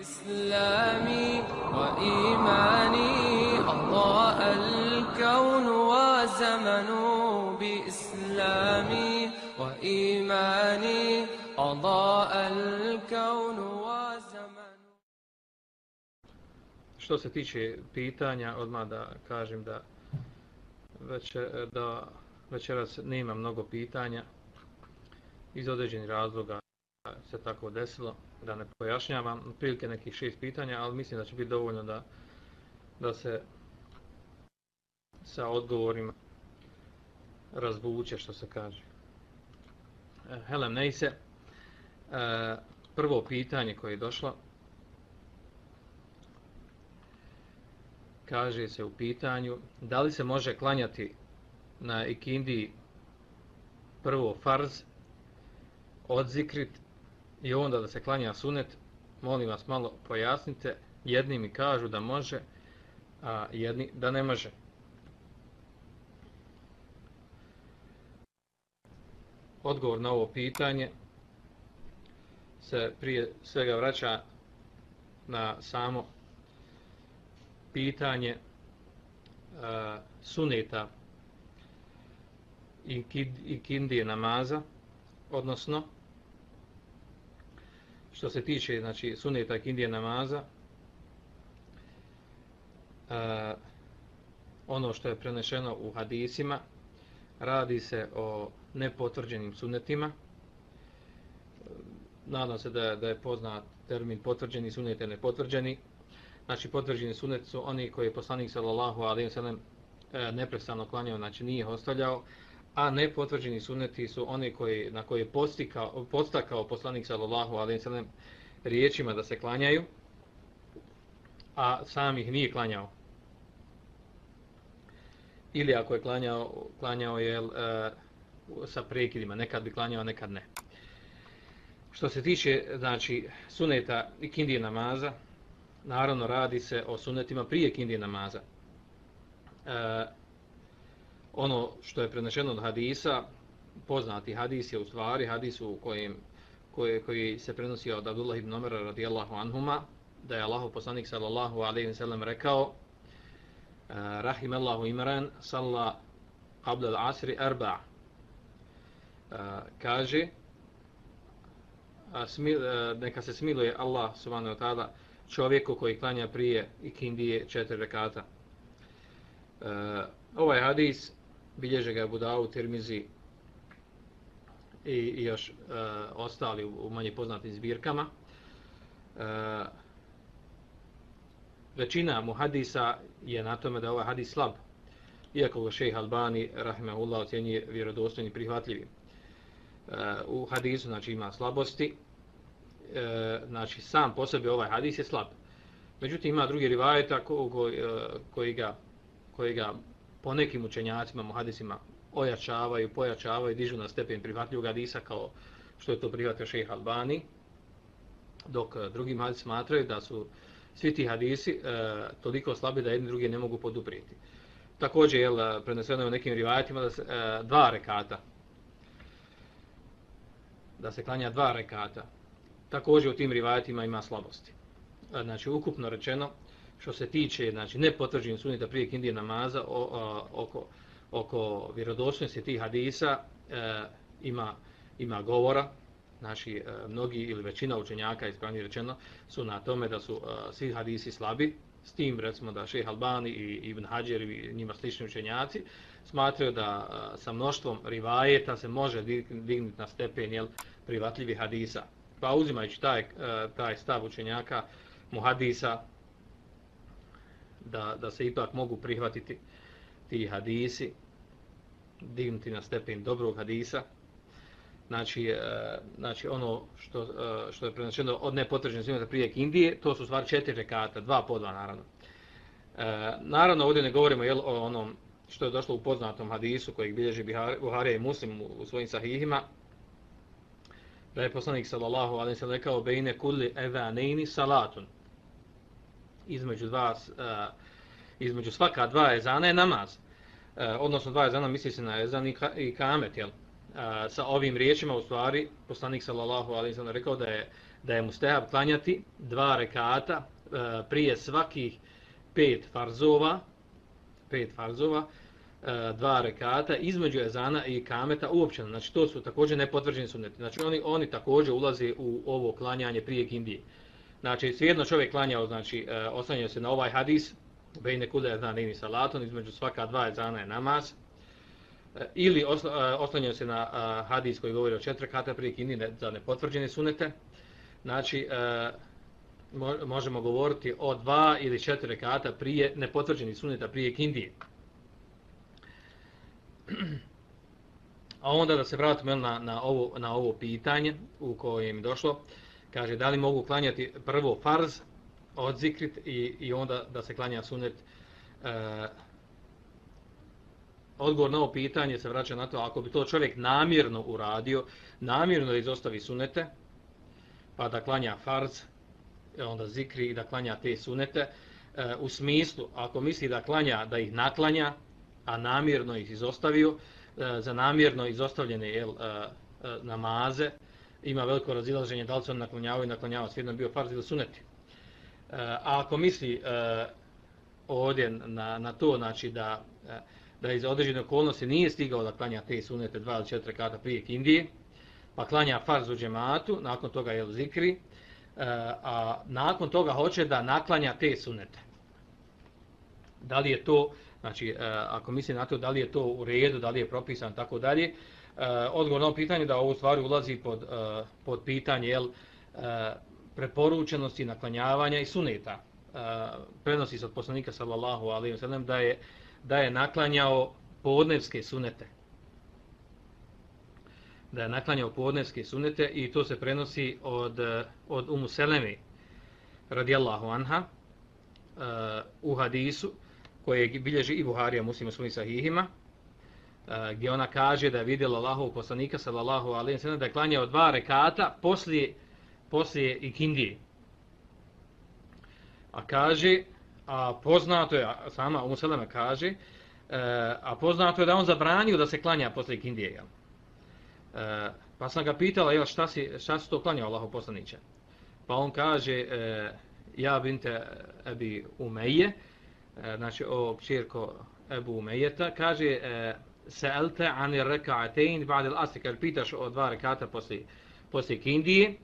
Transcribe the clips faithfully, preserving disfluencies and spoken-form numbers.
إسلامي وإيماني أضاء الكون وزمن بإسلامي وإيماني أضاء الكون وزمن. Što se tiče pitanja, odmah da kažem da večer, da večeras nema mnogo pitanja iz određenih razloga se tako desilo, da ne pojašnjavam, prilike nekih šest pitanja, ali mislim da će biti dovoljno da, da se sa odgovorima razvuče, što se kaže. Helem Neise, prvo pitanje koje je došlo, kaže se u pitanju, da li se može klanjati na ikindiji prvo farz, odzikrit i onda da se klanja sunet. Molim vas malo pojasnite. Jedni mi kažu da može, a jedni da ne može. Odgovor na ovo pitanje se prije svega vraća na samo pitanje uh, suneta i ikindije namaza, odnosno što se tiče znači suneta i ikindije namaza, uh, ono što je prenešeno u hadisima, radi se o nepotvrđenim sunetima. Nadam se da, da je poznat termin potvrđeni sunet i nepotvrđeni. Znači potvrđeni sunet su oni koji je poslanik sallallahu alejhi ve sellem neprestano klanjao, znači nije ih ostavljao, a nepotvrđeni suneti su oni koji, na koje je postikao, podstakao poslanik sallallahu alejhi ve sellem riječima da se klanjaju, a sam ih nije klanjao. Ili ako je klanjao, klanjao je e, sa prekidima, nekad bi klanjao, nekad ne. Što se tiče znači suneta i ikindije namaza, naravno radi se o sunetima prije ikindije namaza. E, ono što je prenešeno od hadisa, poznati hadis je u stvari hadis u kojem, koji, koji se prenosi od Abdullah ibn Omara radijallahu anhuma, da je Allahov poslanik sallallahu alejhi ve sellem rekao: Rahimallahu imran salla qabla al-asri arba'. Kaže, smil, neka se smiluje Allah subhanahu wa ta'ala čovjeku koji klanja prije ikindije četiri rekata. Ovaj hadis bilježe ga Abu Davud, Tirmizi i, i još ostali u, u manje poznatim zbirkama. Većina muhadisa je na tome da je ovaj hadis slab, iako ga šejh Albani rahimehullah ocjenjuje vjerodostojnim i prihvatljivim. U hadisu znači ima slabosti, znači sam po sebi ovaj hadis je slab. Međutim ima drugi rivajeta ko, ko, koji, ga, koji ga po nekim učenjacima, muhadisima ojačavaju, pojačavaju, dižu na stepen prihvatljivog hadisa kao što je to prihvatio šejh Albani, dok drugi muhadisi smatraju da su svi ti hadisi e, toliko slabi da jedni drugi ne mogu poduprijeti. Također je preneseno u nekim rivajetima da se e, dva rekata, da se klanja dva rekata. Također u tim rivajetima ima slabosti. E, znači ukupno rečeno, što se tiče znači nepotvrđenih suneta prije ikindije namaza, o, o, oko, oko vjerodostojnosti tih hadisa e, ima, ima govora. Znači, mnogi ili većina učenjaka, ispravnije rečeno, su na tome da su uh, svi hadisi slabi, s tim recimo da šejh Albani i Ibn Hadžer i njima slični učenjaci smatraju da uh, sa mnoštvom rivajeta se može dignuti na stepen jel, prihvatljivi hadisa. Pa uzimajući taj, uh, taj stav učenjaka muhadisa da, da se ipak mogu prihvatiti ti hadisi, dignuti na stepen dobrog hadisa. Znači, znači ono što, što je prenačeno od nepotvrđenih suneta prije ikindije, to su stvari četiri rekata, dva po dva naravno. E, naravno ovdje ne govorimo jel, o onom što je došlo u poznatom hadisu kojeg bilježi Buharija i Muslim u, u svojim sahihima, da je poslanik sallallahu alejhi ve sellem rekao bejne kulli evanejni salatun. Između, dva, uh, između svaka dva ezana je namaz. Uh, odnosno dva ezana misli se na ezan i, ka, i kamet, jel? Uh, sa ovim riječima u stvari poslanik sallallahu alejhi ve sellem rekao da je da je mustehab klanjati dva rekata e, prije svakih pet farzova, pet farzova, e, dva rekata između ezana i kameta uopćeno. Znači to su također nepotvrđeni sunneti. Znači oni oni također ulaze u ovo klanjanje prije kindije. Znači svejedno čovjek klanjao, znači e, oslanjao se na ovaj hadis, bejne kude ezana i salaton, između svaka dva ezana je namaz. Ili oslanjaju se na uh, hadis koji govori o četiri rekata prije kindije za nepotvrđene sunete. Znači, uh, mo možemo govoriti o dva ili četiri rekata prije nepotvrđenih suneta prije kindije. A onda da se vratimo na, na, ovo, na ovo pitanje u kojem je došlo. Kaže, da li mogu klanjati prvo farz od zikrit i, i onda da se klanja sunet. Uh, Odgovor na ovo pitanje se vraća na to, ako bi to čovjek namjerno uradio, namjerno da izostavi sunete, pa da klanja farz, onda zikri i da klanja te sunete, e, u smislu, ako misli da klanja, da ih naklanja, a namjerno ih izostavio, e, za namjerno izostavljene jel, e, e, namaze, ima veliko razilaženje da li se on naklanjavao i naklanjavao, svijedno bio farz ili suneti. E, a ako misli e, ovdje na, na to, znači da e, da iz određene okolnosti nije stigao da klanja te sunete dva ili četiri rekata prije kindije, pa klanja farz u džematu, nakon toga je zikri, a nakon toga hoće da naklanja te sunete. Da li je to, znači ako misli na to da li je to u redu, da li je propisan, tako dalje, odgovor na ovo pitanje da ovo stvari ulazi pod, pod pitanje jel, preporučenosti naklanjavanja i suneta. Prenosi se od poslanika sallallahu alejhi ve sellem da je da je naklanjao podnevske sunete. Da je naklanjao podnevske sunete i to se prenosi od, od Umu Seleme radijallahu anha uh, u hadisu koje bilježi i Buharija Muslim u svojim sahihima, uh, gdje ona kaže da je vidjela Allahovog poslanika sallallahu alejhi ve sellem da je klanjao dva rekata poslije, poslije ikindije. A kaže A poznato je, sama Umu Seleme kaže, e, a poznato je da on zabranio da se klanja posle kindije. Jel? E, pa sam ga pitala, jel, šta, si, šta si to klanjao Allahov poslaniče? Pa on kaže, e, ja binte Ebi Umeje, e, znači o kćerko Ebu Umejeta, kaže, e, se'elte ani reka'atein ba'dil asri, kaže, pitaš o dva rekata posle, posle kindije.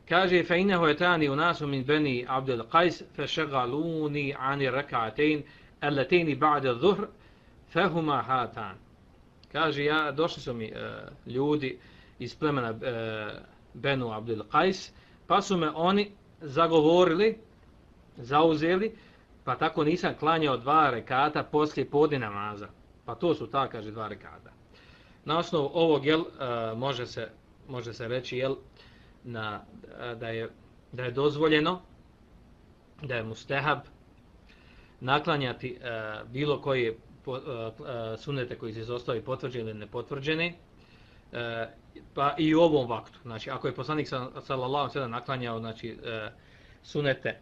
Kaže, fa innahu atani unasu min bani Abdul Qais fashaghaluni ani rak'atayn allatayn ba'da adh-dhuhr fahuma hatan. Kaže, ja došli su mi uh, ljudi iz plemena uh, Benu Abdul Qais, pa su me oni zagovorili, zauzeli, pa tako nisam klanjao dva rekata poslije podne namaza. Pa to su ta, kaže, dva rekata. Na osnovu ovog jel, uh, može se može se reći jel na, da, je, da je dozvoljeno, da je mustehab naklanjati uh, bilo koje po, uh, uh, sunete koji se izostavi potvrđeni ili nepotvrđeni, uh, pa i u ovom vaktu. Znači, ako je poslanik sallallahu alejhi ve sellem naklanjao znači, uh, sunete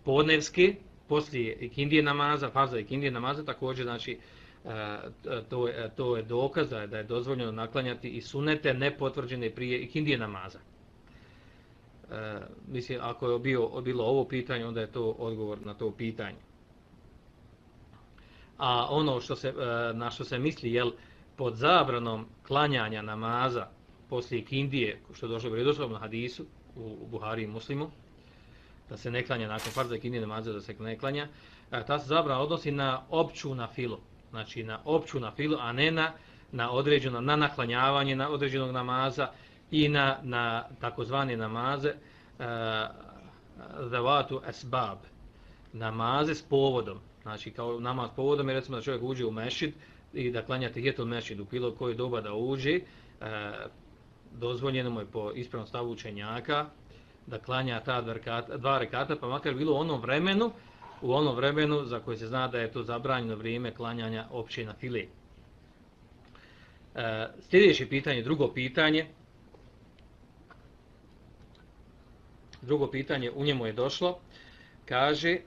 podnevske, poslije ikindije namaza, farza ikindije namaza, također znači, To je, to je dokaz da je, da je dozvoljeno naklanjati i sunete nepotvrđene prije ikindije namaza. E, mislim, ako je bio, bilo ovo pitanje, onda je to odgovor na to pitanje. A ono što se, na što se misli, jel, pod zabranom klanjanja namaza poslije ikindije, što je došlo u redoslovnom hadisu u, u Buhari i Muslimu, da se ne klanja nakon farza ikindije namaza, da se ne klanja, ta se zabrana odnosi na opću nafilu. Znači na opću nafilu, a ne na, na određeno, na naklanjavanje na određenog namaza i na, na takozvane namaze zavatu uh, esbab, namaze s povodom. Znači kao namaz s povodom je recimo da čovjek uđe u mešid i da klanja tehijetul mešid u bilo koje doba da uđe, uh, dozvoljeno mu je po ispravnom stavu učenjaka da klanja ta dva rekata, dva rekata, pa makar bilo u onom vremenu u onom vremenu za koje se zna da je to zabranjeno vrijeme klanjanja opće na file. E, sljedeće pitanje, drugo pitanje, drugo pitanje u njemu je došlo, kaže,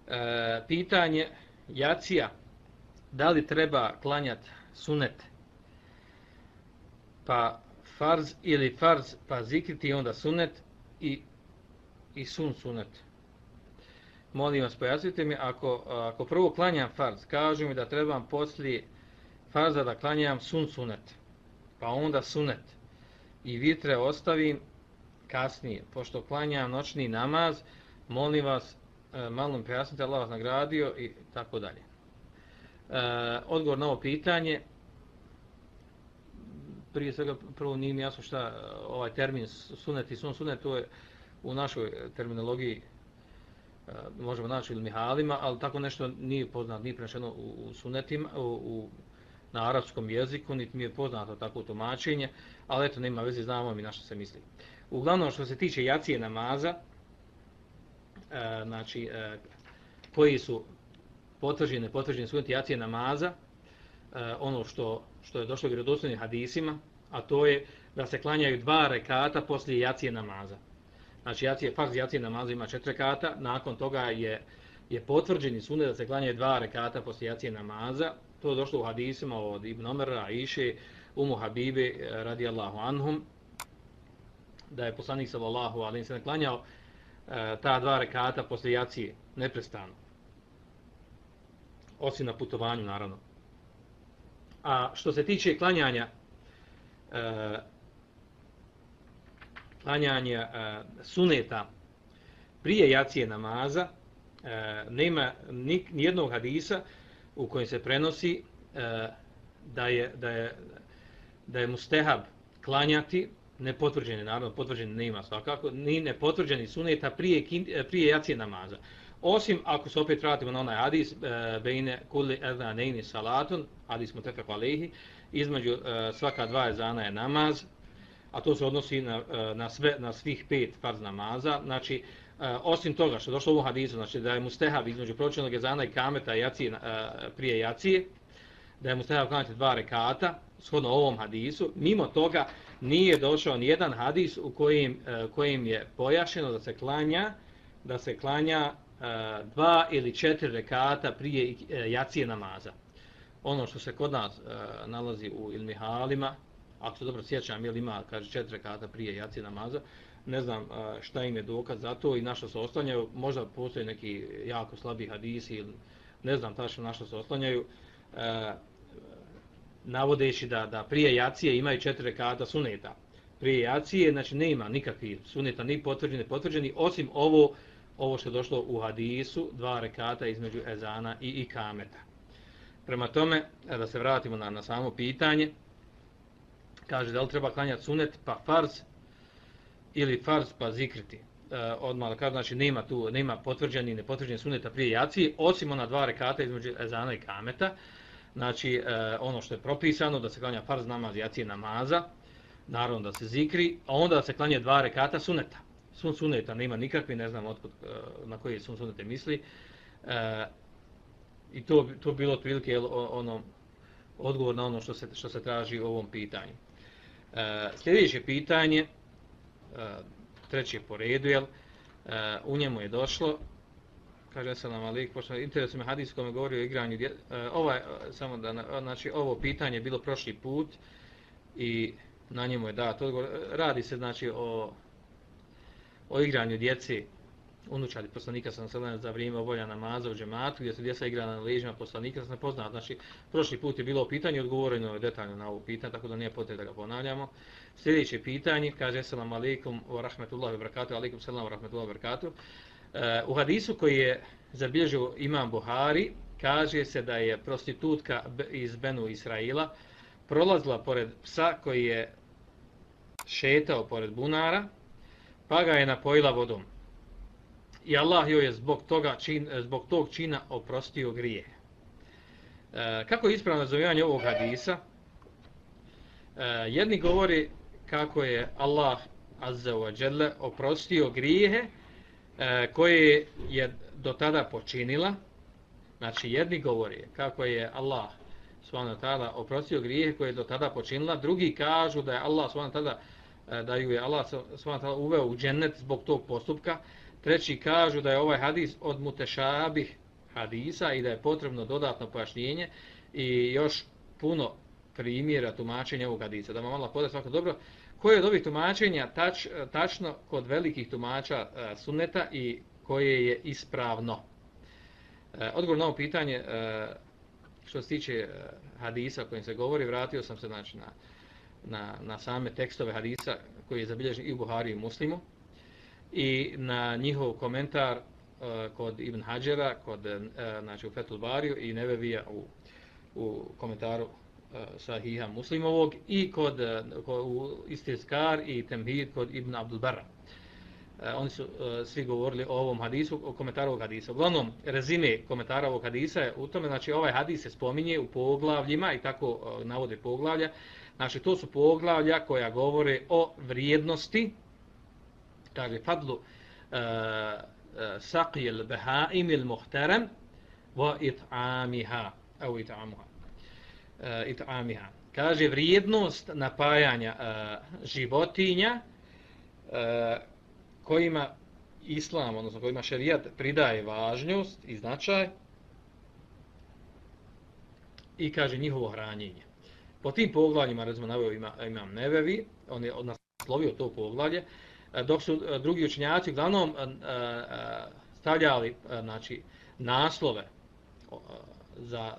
e, pitanje jacija, da li treba klanjati sunet, pa farz ili farz pa zikriti onda sunet i, i sun sunet. Molim vas, pojasnite mi, ako, ako prvo klanjam farz, kažu mi da trebam poslije farza da klanjam sun sunet, pa onda sunet i vitre ostavim kasnije, pošto klanjam noćni namaz, molim vas, malo mi pojasnite, Allah vas nagradio i tako dalje. E, odgovor na ovo pitanje, prije svega prvo nije mi jasno šta ovaj termin sunet i sun sunet, to je u našoj terminologiji e, možemo naći ili mihalima, ali tako nešto nije poznato, nije prenešeno u, u sunetima, u, u, na arapskom jeziku, niti mi je poznato takvo tumačenje, ali eto, nema veze, znamo mi na što se misli. Uglavnom, što se tiče jacije namaza, e, znači, e, koji su potvrđene, potvrđene suneti jacije namaza, e, ono što, što je došlo u vjerodostojnim hadisima, a to je da se klanjaju dva rekata poslije jacije namaza. Znači, jacije, farz jacije namaza ima četiri rekata, nakon toga je, je potvrđeni sunet da se klanjaju dva rekata poslije jacije namaza. To je došlo u hadisima od Ibn Omera, Aiše, Umu Habibe, radijallahu anhum, da je poslanik sallallahu alejhi ve sellem klanjao e, ta dva rekata poslije jacije neprestano. Osim na putovanju, naravno. A što se tiče klanjanja e, klanjanja e, suneta prije jacije namaza, e, nema ni, nijednog hadisa u kojem se prenosi e, da je da je da je mustehab klanjati nepotvrđeni, naravno potvrđeni nema svakako, ni nepotvrđeni suneta prije prije jacije namaza. Osim ako se opet vratimo na onaj hadis e, bejne kulli adhanaini salatun, hadis mutafaq alejhi, između e, svaka dva ezana je namaz, a to se odnosi na, na sve na svih pet farz namaza. Znači, e, osim toga što je došlo u hadisu, znači da je mustehab između pročišćenog ezana i kameta jacije, e, prije jacije, da je mustehab klanjati dva rekata, shodno ovom hadisu, mimo toga nije došao ni jedan hadis u kojim, e, kojim je pojašnjeno da se klanja, da se klanja e, dva ili četiri rekata prije e, jacije namaza. Ono što se kod nas e, nalazi u ilmihalima, ako se dobro sjećam, jel ima, kaže, četiri rekata prije jacije namaza, ne znam e, šta im je dokaz za to i na što se oslanjaju, možda postoji neki jako slabi hadisi ili ne znam tačno na što se oslanjaju, e, navodeći da, da prije jacije imaju četiri rekata suneta. Prije jacije, znači ne ima nikakvih suneta, ni potvrđeni, potvrđeni, osim ovo, ovo što je došlo u hadisu, dva rekata između ezana i ikameta. Prema tome, da se vratimo na, na samo pitanje, kaže da li treba klanjati sunet pa farz ili farz pa zikriti. E, odmah da kaže, znači nema tu, nema potvrđeni i nepotvrđeni suneta prije jacije, osim ona dva rekata između ezana i kameta. Znači, e, ono što je propisano, da se klanja farz namaz jacije namaza, naravno da se zikri, a onda da se klanja dva rekata suneta. Sun suneta nema nikakvi, ne znam otkud, na koji sun sunete misli. E, I to, to bilo otprilike ono, odgovor na ono što se, što se traži u ovom pitanju. E, sljedeće pitanje, e, treće po redu, jel, e, u njemu je došlo, kaže selam alejkum, pošto interesuje me hadis kome govori o igranju dje, e, ovaj, samo da, znači, ovo pitanje je bilo prošli put i na njemu je dat odgovor. Radi se, znači, o, o igranju djece unučadi poslanika sallallahu alejhi ve sellem za vrijeme obavljanja namaza u džematu, gdje su djeca igrala na leđima poslanika, se ne poznat. Znači, prošli put je bilo pitanje, odgovoreno je detaljno na ovo pitanje, tako da nije potrebno da ga ponavljamo. Sljedeće pitanje, kaže selam alejkum wa rahmetullahi wa barakatuh, alejkum selam wa rahmetullahi wa barakatuh. Uh, u hadisu koji je zabilježio imam Buhari, kaže se da je prostitutka iz Benu Israila prolazila pored psa koji je šetao pored bunara, pa ga je napojila vodom. I Allah joj je zbog toga čin, zbog tog čina oprostio grije. E, kako je ispravno razumijevanje ovog hadisa? E, jedni govori kako je Allah azza wa jalla oprostio grijehe e, koje je do tada počinila. Znači, jedni govori kako je Allah subhanahu wa ta'ala oprostio grijehe koje je do tada počinila, drugi kažu da je Allah subhanahu wa ta'ala, da ju je Allah subhanahu wa ta'ala uveo u džennet zbog tog postupka. Treći kažu da je ovaj hadis od mutešabih hadisa i da je potrebno dodatno pojašnjenje i još puno primjera tumačenja ovog hadisa. Da vam Allah podaje svako dobro, koje je od ovih tumačenja tač, tačno kod velikih tumača e, sunneta i koje je ispravno? E, odgovor na ovo pitanje, e, što se tiče e, hadisa o kojem se govori, vratio sam se znači, na, na, na same tekstove hadisa koji je zabilježen i u Buhari i u Muslimu i na njihov komentar e, kod Ibn Hadžera, kod, e, znači, u Fethul Bariju i Nevevija u, u komentaru Sahiha Muslimovog i kod, kod u Istizkar i Temhid kod Ibn Abdul Barra. E, oni su e, svi govorili o ovom hadisu, o komentaru ovog hadisa. Uglavnom, rezime komentara ovog hadisa je u tome, znači ovaj hadis se spominje u poglavljima i tako e, navode poglavlja. Znači to su poglavlja koja govore o vrijednosti, kaže fadlu e, e, saqi al-bahaim al-muhtaram wa it'amiha au it'amuha. Uh, it'amiha. Kaže vrijednost napajanja uh, životinja uh, kojima islam, odnosno kojima šerijat pridaje važnost i značaj i kaže njihovo hranjenje. Po tim poglavljima, recimo naveo ima, imam Nevevi, on je naslovio to poglavlje, uh, dok su uh, drugi učenjaci uglavnom uh, uh, stavljali uh, znači, naslove uh, za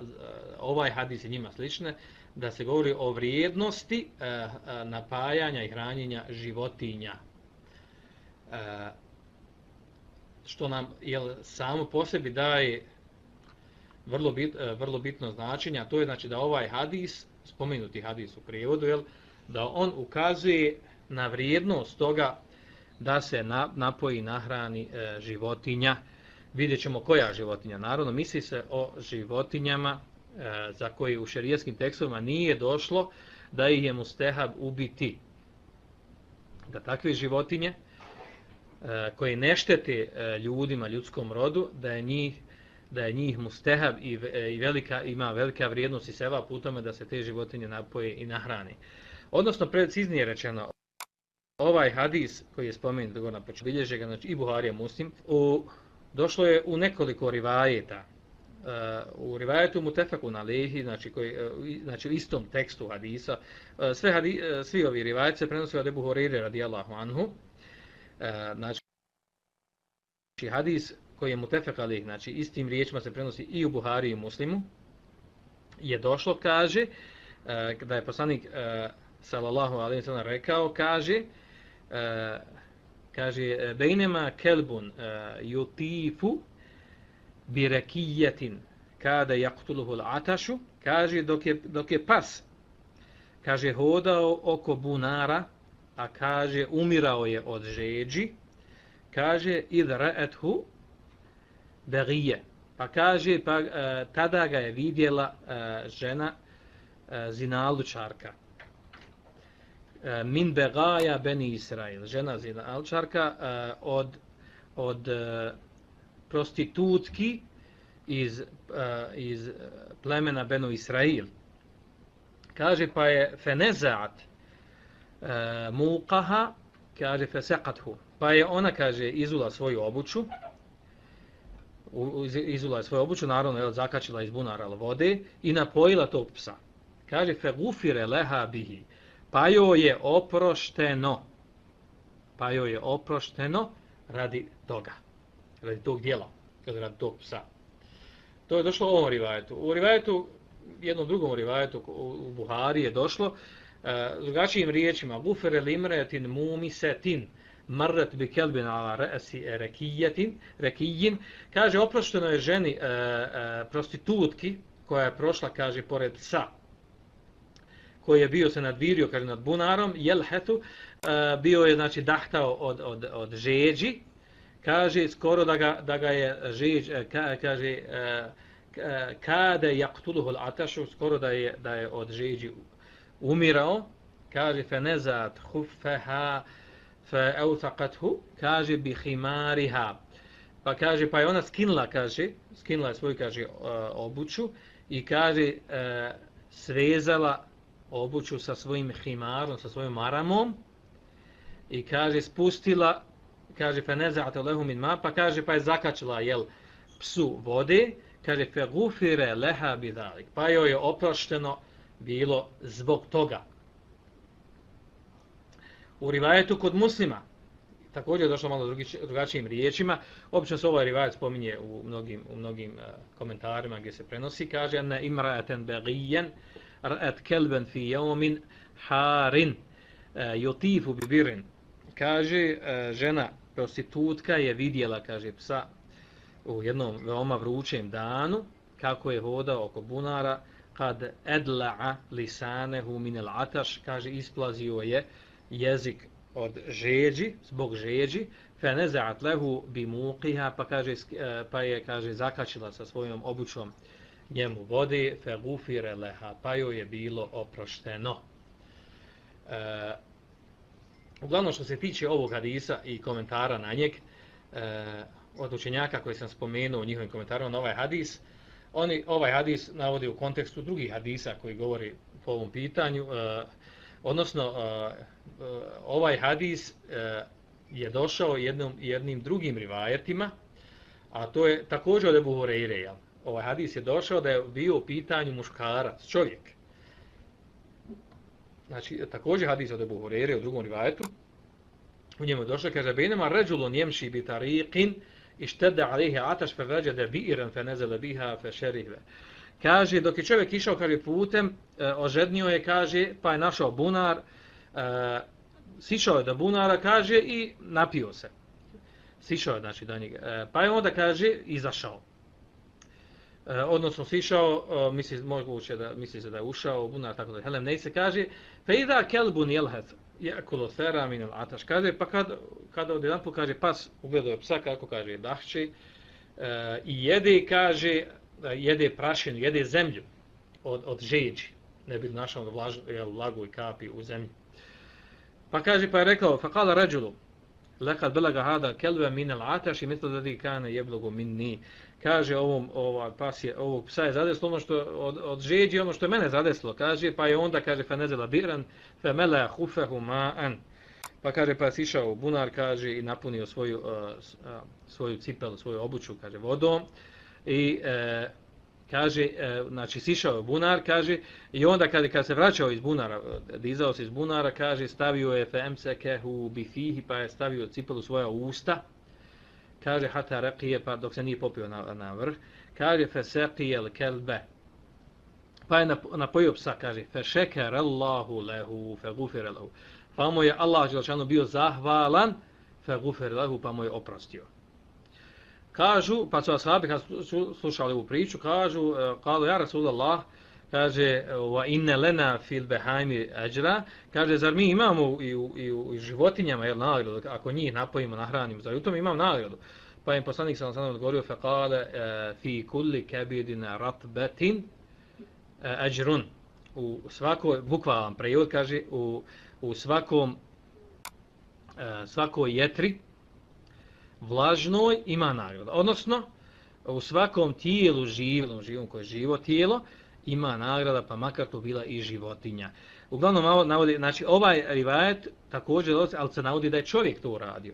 ovaj hadis i njima slične, da se govori o vrijednosti e, napajanja i hranjenja životinja. E, što nam jel, samo po sebi daje vrlo, bit, vrlo bitno značenje, a to je znači da ovaj hadis, spomenuti hadis u prijevodu, jel, da on ukazuje na vrijednost toga da se na, napoji, nahrani e, životinja. Vidjet ćemo koja životinja. Naravno, misli se o životinjama e, za koje u šerijskim tekstovima nije došlo da ih je mustehab ubiti. Da takve životinje e, koje ne štete e, ljudima, ljudskom rodu, da je njih, da je njih mustehab i, e, i velika, ima velika vrijednost i seva putome da se te životinje napoje i nahrane. Odnosno, preciznije rečeno, ovaj hadis koji je spomenut na početku, bilježe ga znači, i Buharija Muslim, u došlo je u nekoliko rivajeta. Uh, u rivajetu Mutefakun alejhi, znači, koji, uh, znači u istom tekstu hadisa, uh, sve hadi, uh, svi ovi rivajeti se prenose od Ebu Hurajre radijallahu anhu. Uh, znači, hadis koji je Mutefak alejhi, znači istim riječima se prenosi i u Buhari i Muslimu, je došlo, kaže, uh, da je poslanik uh, sallallahu alejhi ve sellem rekao, kaže, uh, kaže bejnema kelbun uh, yutifu bi rakiyatin kada yaqtuluhu al-atashu, kaže dok je dok je pas kaže hodao oko bunara, a kaže umirao je od žeđi, kaže idra'athu baghiya, pa kaže pa uh, tada ga je vidjela uh, žena uh, zinalučarka. Min begaja beni Israil, žena zinalučarka uh, od, od uh, prostitutki iz, uh, iz plemena Benu Israil. Kaže pa je fenezaat uh, muqaha, kaže feseqathu, pa je ona, kaže, izula svoju obuću, izula je svoju obuću, naravno je zakačila iz bunara vode i napojila tog psa. Kaže fegufire leha bihi, pa joj je oprošteno, pa joj je oprošteno radi toga, radi tog djela, radi tog psa. To je došlo u ovom rivajetu. U rivajetu, jednom drugom rivajetu u Buhari je došlo, uh, drugačijim riječima, gufere limretin mumisetin, marret bi kelbin ala re'si rekijetin, rekijin, kaže, oprošteno je ženi uh, uh, prostitutki, koja je prošla, kaže, pored psa, koji je bio se nadvirio, kaže, nad bunarom, jelhetu, uh, bio je, znači, dahtao od, od, od žeđi, kaže, skoro da ga, da ga je žeđ, ka, kaže, uh, kade yaqtuluhu al-atashu, skoro da je, da je od žeđi umirao, kaže, fenezat khuffaha fa awthaqathu, kaže, bi khimariha, pa kaže, pa je ona skinula, kaže, skinula je svoju, kaže, obuću i kaže, uh, svezala obuću sa svojim himarom, sa svojim maramom i kaže spustila, kaže feneza'at lehu min ma, pa kaže pa je zakačila jel psu vode, kaže fe gufire leha bidalik, pa joj je oprošteno bilo zbog toga. U rivajetu kod Muslima, također je došlo malo drugi, drugačijim riječima, obično se ovaj rivajet spominje u mnogim, u mnogim uh, komentarima gdje se prenosi, kaže ne imra'atan baghiyan ra'at kalban fi yawmin harin uh, yutifu bi birrin. Kaže uh, žena prostitutka je vidjela, kaže, psa u jednom veoma vrućem danu kako je hodao oko bunara, kad edla'a lisanehu min al-atash, kaže isplazio je jezik od žeđi, zbog žeđi, fe neza'at lehu bi muqiha, pa kaže pa je kaže zakačila sa svojom obućom njemu vode, fe gufire leha, pa joj je bilo oprošteno. E, uglavnom što se tiče ovog hadisa i komentara na njeg, e, od učenjaka koji sam spomenuo u njihovim komentarima na ovaj hadis, oni ovaj hadis navodi u kontekstu drugih hadisa koji govori po ovom pitanju, e, odnosno e, ovaj hadis e, je došao jednom, jednim drugim rivajetima, a to je također od Ebu Hureyre. Ovaj hadis je došao da je bio u pitanju muškarac, čovjek. Znači, također hadis od Ebu Hureyre u drugom rivajetu, u njemu je došao, kaže, bejnema ređulun jemši bi tariqin ištede alihi ataš fe veđede bi'iran fe nezele biha fe šerihve. Kaže, dok je čovjek išao, kaže, putem, e, ožednio je, kaže, pa je našao bunar, e, sišao je do bunara, kaže, i napio se. Sišao je, znači, do njega. E, pa je onda, kaže, izašao. E, odnosno, sišao, e, misli, moguće da, misli se da je ušao u bunar, tako da Helem nej se kaže, fe ida kelbun jelhet, jakulu thera min al ataš, kaže, pa kad, kada od jedan put, kaže, pas ugledao je psa, kako kaže, dahće, e, i jede, kaže, jede prašinu, jede zemlju od, od žeđi, ne bi našao da vlaž, vlagu i kapi u zemlji. Pa kaže, pa je rekao, fa kala ređulu, lekad belaga hada kelve min al ataš i mislo da di kane jeblogu min ni. Kaže, ovom, ovaj pas je, ovog psa je zadeslo ono što od, od žeđi, ono što je mene zadeslo, kaže, pa je onda, kaže, fa nezela biran, fa mela hufehu ma'an. Pa kaže, pa je sišao u bunar, kaže, i napunio svoju, uh, uh, svoju cipelu, svoju obuću, kaže, vodom. I e, kaže, e, znači sišao je bunar, kaže, i onda kad, kad se vraćao iz bunara, dizao se iz bunara, kaže, stavio je femsekehu bifihi, pa je stavio cipelu svoja usta, kaže, hata raqije, pa dok se nije popio na, na vrh, kaže, feseqijel kelbe, pa je napojio psa, kaže, fešekerallahu lehu, fegufire lehu, pa mu je Allah Đelšanu bio zahvalan, fegufire lehu, pa mu je oprostio. Kažu, pa su ashabi kad su slušali ovu priču, kažu, kalu ja Rasulallah, kaže, wa inne lena fil behajmi ajra, kaže, zar mi imamo i u, i u, i u životinjama, jel, nagradu, ako njih napojimo, nahranimo, zar u tom imam nagradu? Pa im poslanik sam sam odgovorio, fe kale, fi kulli kebidina ratbetin ajrun. U svakoj, bukvalan prevod, kaže, u, u svakom, svakoj jetri, vlažnoj ima nagrada. Odnosno, u svakom tijelu živom, živom koje je živo tijelo, ima nagrada, pa makar to bila i životinja. Uglavnom, navodi, znači, ovaj rivajet također, ali se navodi da je čovjek to uradio.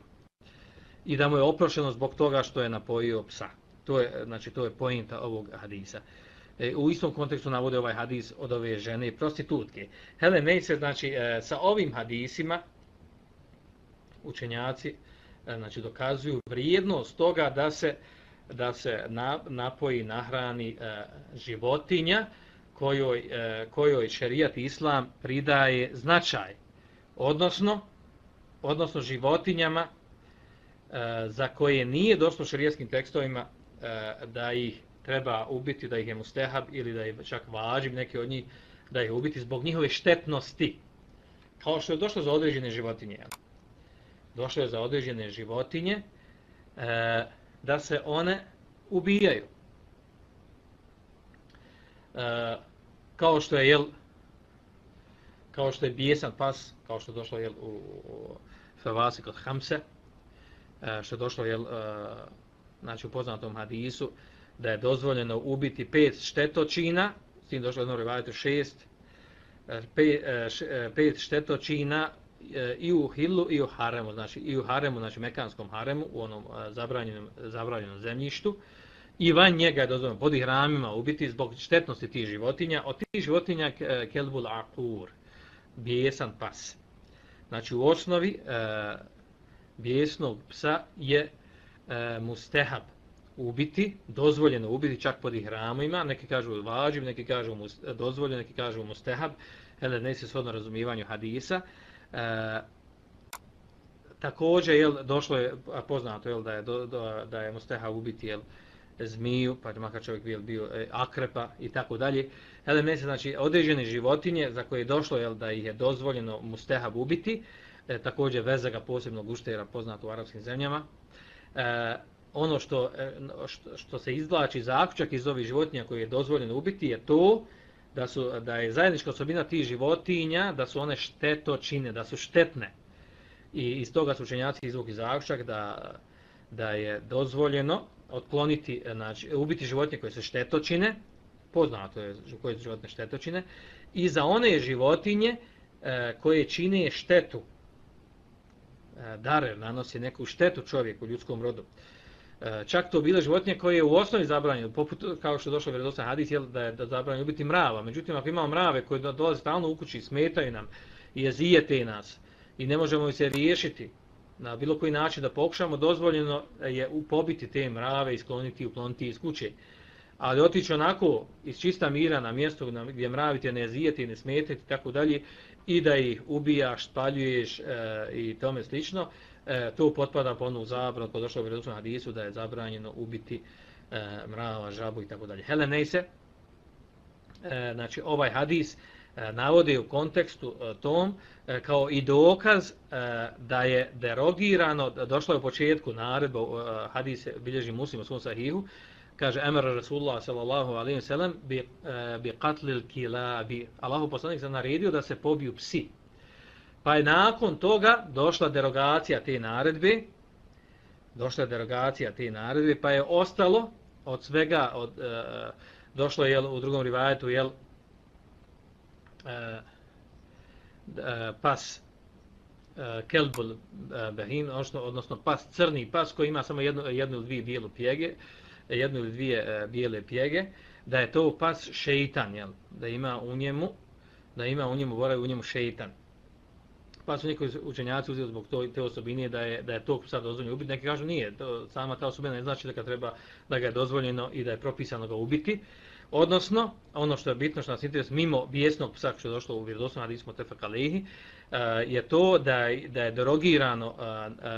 I da mu je oprošeno zbog toga što je napojio psa. To je, znači, to je pointa ovog hadisa. E, u istom kontekstu navode ovaj hadis od ove žene i prostitutke. Hele, ne se, znači, e, sa ovim hadisima učenjaci znači dokazuju vrijednost toga da se da se na, napoji, nahrani e, životinja kojoj, e, kojoj šerijat islam pridaje značaj. Odnosno, odnosno životinjama e, za koje nije došlo šerijatskim tekstovima e, da ih treba ubiti, da ih je mustehab ili da je čak važib neki od njih da ih ubiti zbog njihove štetnosti. Kao što je došlo za određene životinje. Došlo je za određene životinje e, da se one ubijaju. E, kao što je jel kao što je bijesan pas, kao što je došlo jel u, u Fevasi kod Hamse, e, što je došlo jel e, znači u poznatom hadisu da je dozvoljeno ubiti pet štetočina, s tim došlo jedno rivajetu šest, pet, pet štetočina i u hilu i u haremu, znači i u haremu, znači mekanskom haremu, u onom zabranjenom, zabranjenom zemljištu, i van njega je dozvoljeno pod ihramima ubiti zbog štetnosti tih životinja. Od tih životinja kelbul akur, bijesan pas. Znači u osnovi e, bijesnog psa je e, mustehab ubiti, dozvoljeno ubiti čak pod ihramima, neki kažu vađib, neki kažu dozvoljeno, neki kažu mustehab, hele ne se shodno razumijevanju hadisa. E, također jel došlo je poznato jel da je do, do, da je mustehab ubiti jel zmiju, pa makar čovjek bio, bio e, akrepa i tako dalje. Hele ne se znači određene životinje za koje je došlo jel da ih je dozvoljeno mustehab ubiti, e, također vezega posebnog uštera poznato u arapskim zemljama. E, ono što, što, što se izvlači zaključak iz ovih životinja koje je dozvoljeno ubiti je to da, su, da je zajednička osobina tih životinja da su one štetočine, da su štetne. I iz toga su učenjaci izvukli zaključak da, da je dozvoljeno otkloniti, znači ubiti životinje koje su štetočine, poznato je koje su životinje štetočine, i za one životinje e, koje čine štetu, e, darer nanosi neku štetu čovjeku, ljudskom rodu. Čak to bile životinje koje je u osnovi zabranjeno, poput kao što je došlo vjerodostojan hadis je da je da zabranjeno ubiti mrava. Međutim, ako imamo mrave koji dolaze stalno u kući, smetaju nam i jezijete nas i ne možemo se riješiti na bilo koji način da pokušamo, dozvoljeno je pobiti te mrave i skloniti i ukloniti iz kuće. Ali otići onako iz čista mira na mjesto gdje mravi te ne jezijete i ne smetete i tako dalje i da ih ubijaš, spaljuješ e, i tome slično, E, to potpada po onu zabranu kod došlo u vjerodostojnom hadisu da je zabranjeno ubiti e, mrava, žabu i tako dalje. Helenejse, e, znači ovaj hadis e, navodi u kontekstu e, tom e, kao i dokaz e, da je derogirano, došlo je u početku naredba, e, hadis bilježi Muslim u svom sahihu, kaže Emir Rasulullah sallallahu alejhi ve sellem bi e, bi qatlil kilabi. Allahu poslanik se naredio da se pobiju psi. Pa je nakon toga došla derogacija te naredbe, došla je derogacija te naredbe, pa je ostalo od svega, od, e, došlo je jel, u drugom rivajetu jel, e, e, pas e, kelbul e, behin, odnosno, odnosno pas crni pas koji ima samo jednu, jednu ili dvije bijelu pjege, jednu ili dvije e, bijele pjege, da je to pas šeitan, jel, da ima u njemu, da ima u njemu, boravi u njemu šeitan. Pa su neki učenjaci uzeli zbog to, te osobine da je, da je to sad dozvoljeno ubiti. Neki kažu nije, to, sama ta osobina ne znači da ga treba da ga je dozvoljeno i da je propisano ga ubiti. Odnosno, ono što je bitno, što nas interesuje, mimo bijesnog psa što je došlo u vjerodostojnom hadisu Muttefaq alejhi, je to da je, da je derogirano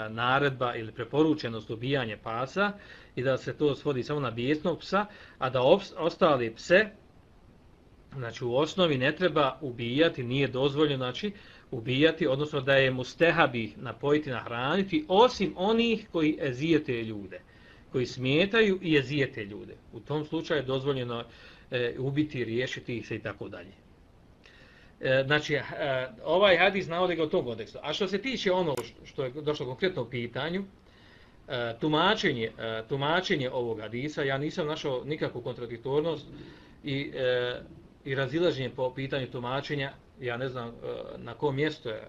naredba ili preporučenost ubijanja pasa i da se to svodi samo na bijesnog psa, a da ostali pse, znači u osnovi ne treba ubijati, nije dozvoljeno, znači ubijati, odnosno da je mustehab ih napojiti, nahraniti, osim onih koji ezijete ljude, koji smetaju i ezijete ljude. U tom slučaju je dozvoljeno e, ubiti, riješiti ih se i tako dalje. E, znači, e, ovaj hadis navodi ga u tom kontekstu. A što se tiče ono što je došlo konkretno u pitanju, e, tumačenje, e, tumačenje ovog hadisa, ja nisam našao nikakvu kontradiktornost i, e, i razilaženje po pitanju tumačenja. Ja ne znam na kom mjestu je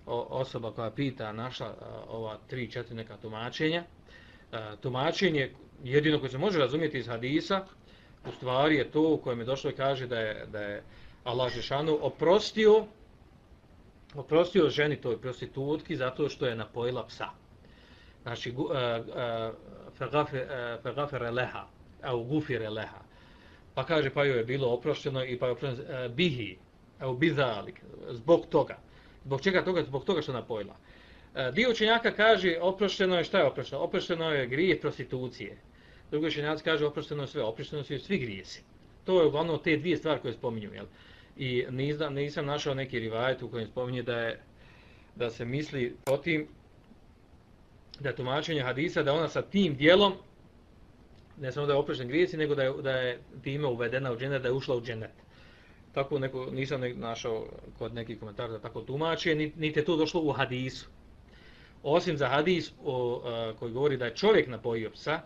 osoba koja pita našla ova tri, četiri neka tumačenja. Tumačenje jedino koje se može razumjeti iz hadisa, u stvari je to u kojem je došlo i kaže da je, da je Allah dželešanu oprostio, oprostio ženi toj prostitutki zato što je napojila psa. Znači, fagafere leha, au gufire leha. Pa kaže, pa joj je bilo oprošteno i pa je oprošteno bihi. Evo bizalik, zbog toga. Zbog čega toga? Zbog toga što napojila. E, dio učenjaka kaže oprošteno je, šta je oprošteno? Oprošteno je grije prostitucije. Drugi učenjaci kaže oprošteno je sve, oprošteno su svi grijesi. To je uglavnom te dvije stvari koje spominju, jel? I nisam, nisam našao neki rivajet u kojem spominje da je da se misli po tim da je tumačenje hadisa da ona sa tim dijelom ne samo da je oprošten grijesi, nego da je, da je time uvedena u džennet, da je ušla u džennet. Tako neko, nisam našao kod nekih komentara da tako tumače, niti je to došlo u hadisu. Osim za hadis o, a, koji govori da je čovjek napojio psa,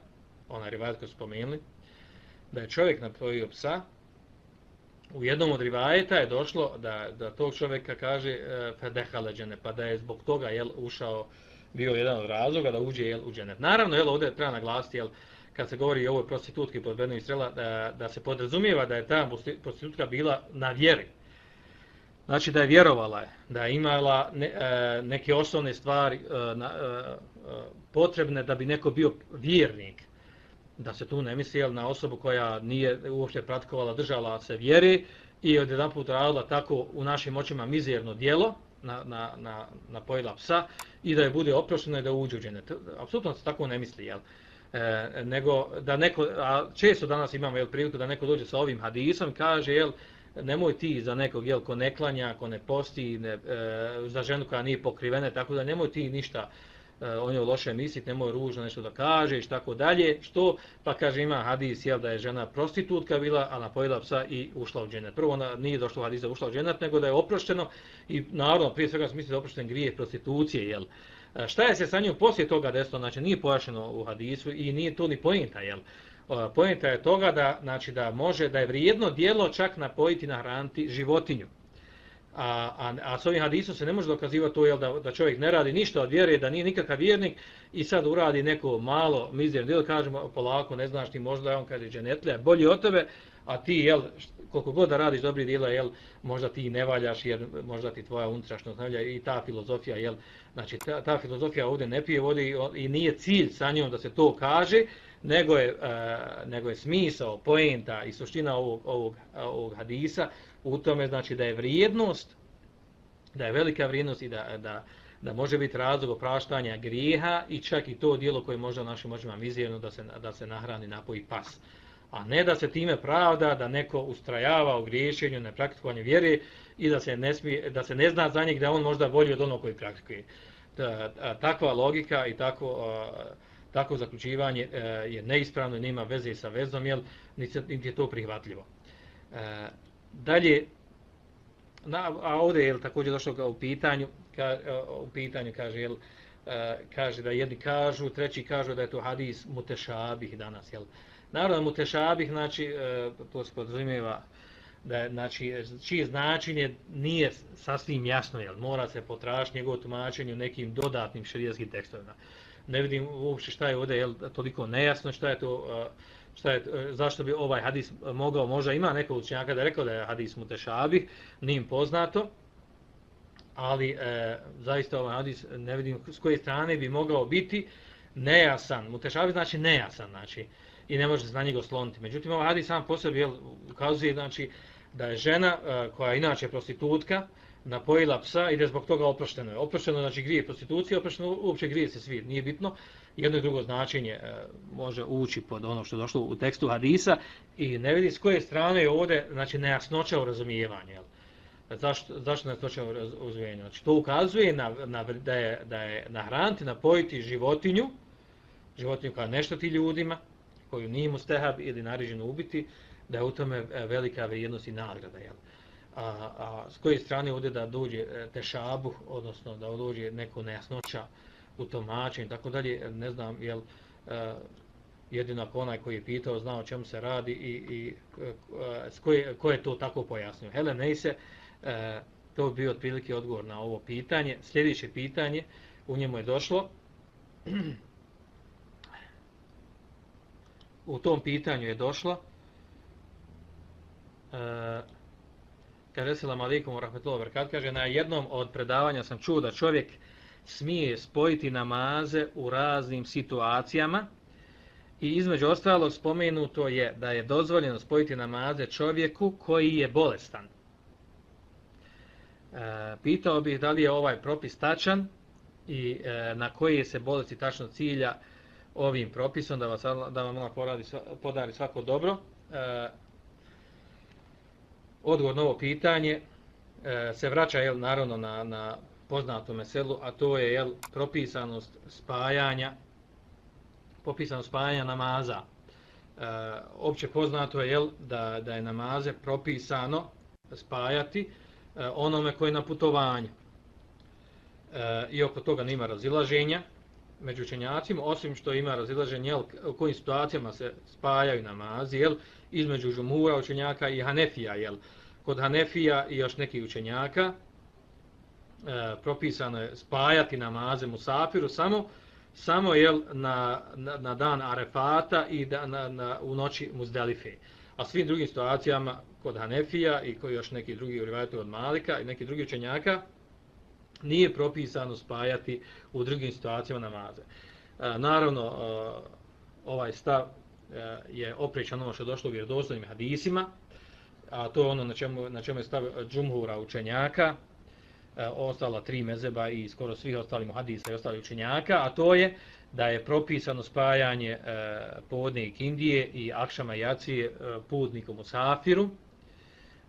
onaj rivajet koji su spomenuli, da je čovjek napojio psa, u jednom od rivajeta je došlo da, da tog čovjeka kaže fedehaleđene, pa da je zbog toga jel, ušao, bio jedan od razloga da uđe jel, u džennet. Naravno, jel, ovdje treba naglasiti, jel, kad se govori o ovoj prostitutki pod Benu Israila, da, da se podrazumijeva da je ta prostitutka bila na vjeri. znači da je vjerovala, da je imala ne, e, neke osnovne stvari e, na, e, potrebne da bi neko bio vjernik. Da se tu ne misli jel, na osobu koja nije uopšte praktikovala, držala se vjere i odjedanput radila tako u našim očima mizerno djelo, na, na, na, na pojela psa i da je bude oprošteno i da uđe u dženet. Apsolutno se tako ne misli, jel? E, nego da neko, a često danas imamo jel, priliku da neko dođe sa ovim hadisom i kaže, jel, nemoj ti za nekog, jel, ko ne klanja, ko ne posti, ne, e, za ženu koja nije pokrivena, tako da nemoj ti ništa e, o njoj loše misliti, nemoj ružno nešto da kažeš, tako dalje, što, pa kaže, ima hadis, jel, da je žena prostitutka bila, a napojila psa i ušla u dženet. Prvo, ona nije došlo hadis da ušla u dženet, nego da je oprošteno i naravno, prije svega se misli da je oprošten grijeh prostitucije, jel. E, šta je se sa njom poslije toga desilo, znači nije pojašnjeno u hadisu i nije to ni poenta, jel. Poenta je toga da, znači, da može, da je vrijedno djelo čak napojiti, nahraniti životinju. A, a, a s ovim hadisom se ne može dokazivati to, jel, da, da čovjek ne radi ništa od vjere, da nije nikakav vjernik i sad uradi neko malo mizerno djelo, kažemo polako, ne znaš ti, možda je on kaže dženetlija, bolji od tebe, a ti, jel, koliko god da radiš dobri djela, jel, možda ti ne valjaš, jer možda ti tvoja unutrašnjost ne valja i ta filozofija, jel, znači ta, ta filozofija ovdje ne pije vode i, i nije cilj sa njom da se to kaže, nego je, uh, nego je smisao, poenta i suština ovog, ovog, ovog hadisa u tome, znači, da je vrijednost, da je velika vrijednost i da, da, da može biti razlog opraštanja grijeha i čak i to djelo koje možda našim očima mizerno da se, da se nahrani, napoji pas. A ne da se time pravda da neko ustrajava u griješenju, nepraktikovanju vjere i da se ne, smije, da se ne zna za njeg da on možda bolji od onog koji praktikuje. Takva logika i tako... Tako zaključivanje e, je neispravno i nema veze sa vezom, jer niti je to prihvatljivo. E, dalje, na, a ovdje je također došlo u pitanju, ka, u pitanju kaže, jel, e, kaže da jedni kažu, treći kažu da je to hadis mutešabih danas. Jel. Naravno, mutešabih, znači, e, to se podrazumijeva da je, znači, čije značenje nije sasvim jasno, jel, mora se potražiti njegovo tumačenje u nekim dodatnim šerijskim tekstovima. Ne vidim uopšte šta je ovdje jel, toliko nejasno, šta je to, šta je, zašto bi ovaj hadis mogao, možda ima nekog učenjaka da je rekao da je hadis mutešabih, nije im poznato, ali e, zaista ovaj hadis ne vidim s koje strane bi mogao biti nejasan. Mutešabih znači nejasan, znači, i ne može se na njega osloniti. Međutim, ovaj hadis sam po sebi jel, ukazuje znači, da je žena e, koja je inače prostitutka, napojila psa i da je zbog toga oprošteno je. Oprošteno znači grije prostitucije, oprošteno uopće grije se svi, nije bitno. Jedno i drugo značenje e, može ući pod ono što je došlo u tekstu hadisa i ne vidi s koje strane je ovdje znači, nejasnoća u razumijevanju. Jel? Zašto, zašto nejasnoća u razumijevanju? Znači, to ukazuje na, na, da je, da je nahraniti, napojiti životinju, životinju koja ne šteti ljudima, koju nije mustehab ili naređeno ubiti, da je u tome velika vrijednost i nagrada. Jel? A, a s koje strane ovdje da dođe tešabuh, odnosno da dođe neko nejasnoća u tumačenju i tako dalje, ne znam, jel uh, jedino ako onaj koji je pitao zna o čemu se radi i, i uh, koje, ko je to tako pojasnio. Helen Neise, uh, to bi bio otprilike odgovor na ovo pitanje. Sljedeće pitanje, u njemu je došlo, u tom pitanju je došlo, uh, kaže selam alejkum ve rahmetullahi ve berekatuh, kaže na jednom od predavanja sam čuo da čovjek smije spojiti namaze u raznim situacijama i između ostalog spomenuto je da je dozvoljeno spojiti namaze čovjeku koji je bolestan. E, pitao bih da li je ovaj propis tačan i e, na koje se bolesti tačno cilja ovim propisom, da, vas, da vam ona poradi, podari svako dobro. E, Odgovor na ovo pitanje e, se vraća jel, naravno na, na poznato meselu, a to je jel, propisanost spajanja propisanost spajanja namaza. E, opće poznato je jel, da, da je namaze propisano spajati e, onome koji je na putovanju. E, I oko toga nema razilaženja među učenjacima, osim što ima razilaženje jel, u kojim situacijama se spajaju namazi, jel, između džumhura učenjaka i Hanefija. Jel. Kod Hanefija i još nekih učenjaka e, propisano je spajati namaze musafiru samo, samo jel, na, na, na dan Arefata i da, na, na, u noći Muzdelife. a svim drugim situacijama kod Hanefija i koji još neki drugi rivajeti od Malika i neki drugi učenjaka nije propisano spajati u drugim situacijama namaze. E, naravno, e, ovaj stav e, je opriječan ono što je došlo u vjerodostojnim hadisima, a to je ono na čemu, na čemu je stav džumhura učenjaka, e, ostala tri mezeba i skoro svih ostalih hadisa i ostalih učenjaka, a to je da je propisano spajanje e, podne i kindije i akšama i jacije e, putnikom u safiru,